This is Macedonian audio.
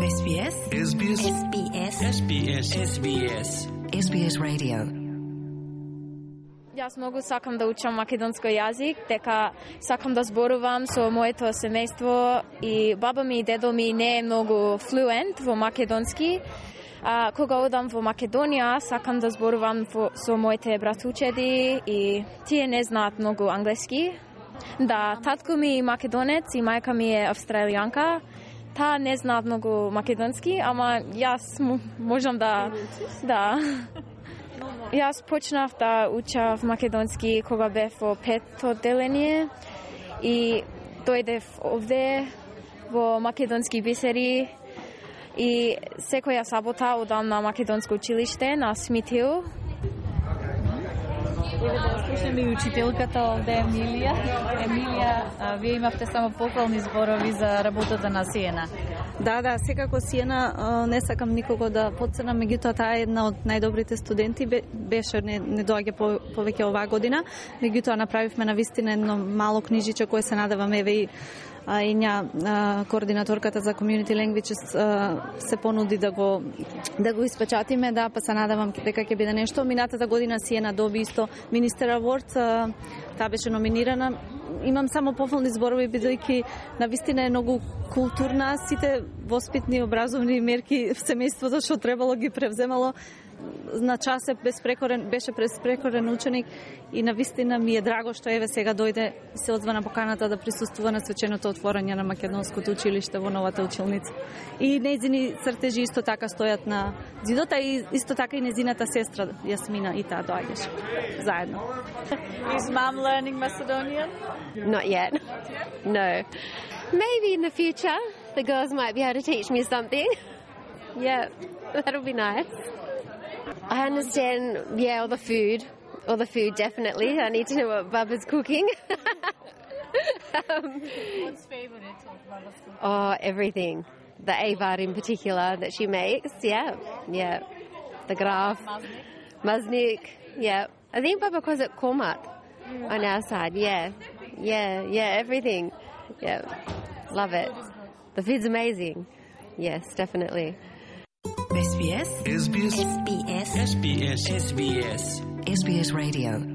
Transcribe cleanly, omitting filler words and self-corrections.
SBS SBS SBS SBS SBS SBS Radio. Јас многу сакам да учам македонски јазик, дека сакам да зборувам со моето семејство и баба ми и дедо ми не е многу флуент во македонски. Кога одам во Македонија, сакам да зборувам со моите братучеди и тие не знаат многу англиски. Да, татко ми е македонец и мајка ми е австралијанка. Таа не знаат многу македонски, ама јас можам да. Јас почнав да учав македонски кога бев во 5-то одделение и дојдев овде во македонски бисери и секоја сабота одам на македонско училиште на Смитхил. Еве да слушаме и учителката овде Емилија. Емилија, вие имавте само похвални зборови за работата на Сиена. Да, секако Сиена, не сакам никого да потцрнам, меѓутоа таа е една од најдобрите студенти, беше не доаѓа повеќе оваа година, меѓутоа направивме навистина едно мало книжиче кое се надевам еве и координаторката за Community Languages се понуди да го испечатиме, па се надевам дека ќе биде нешто. Минатата година Сиена доби исто Министер Award, таа беше номинирана. Имам само пофални зборови, бидејќи навистина е многу културна, сите воспитни образовни мерки в семејството што требало ги превземало. На час беше безпрекорен ученик и навистина ми е драго што еве сега дојде и се одзвана поканата да присуствува на свеченото отворање на македонското училиште во новата училница. И нејзини цртежи исто така стојат на зидота и исто така и незината сестра Јасмина и таа доаѓаше заедно. Is mom learning Macedonian? Not yet. No. Maybe in the future the girls might be able to teach me something. Yeah, that'll be nice. I understand, all the food. All the food, definitely. I need to know what Baba's cooking. What's favorite of Baba's cooking? Oh, everything. The avar in particular that she makes, yeah. The graf. Maznik, yeah. I think Baba calls it kormat on our side, yeah, everything. Yeah, love it. The food's amazing. Yes, definitely. SBS SBS SBS SBS SBS SBS Radio.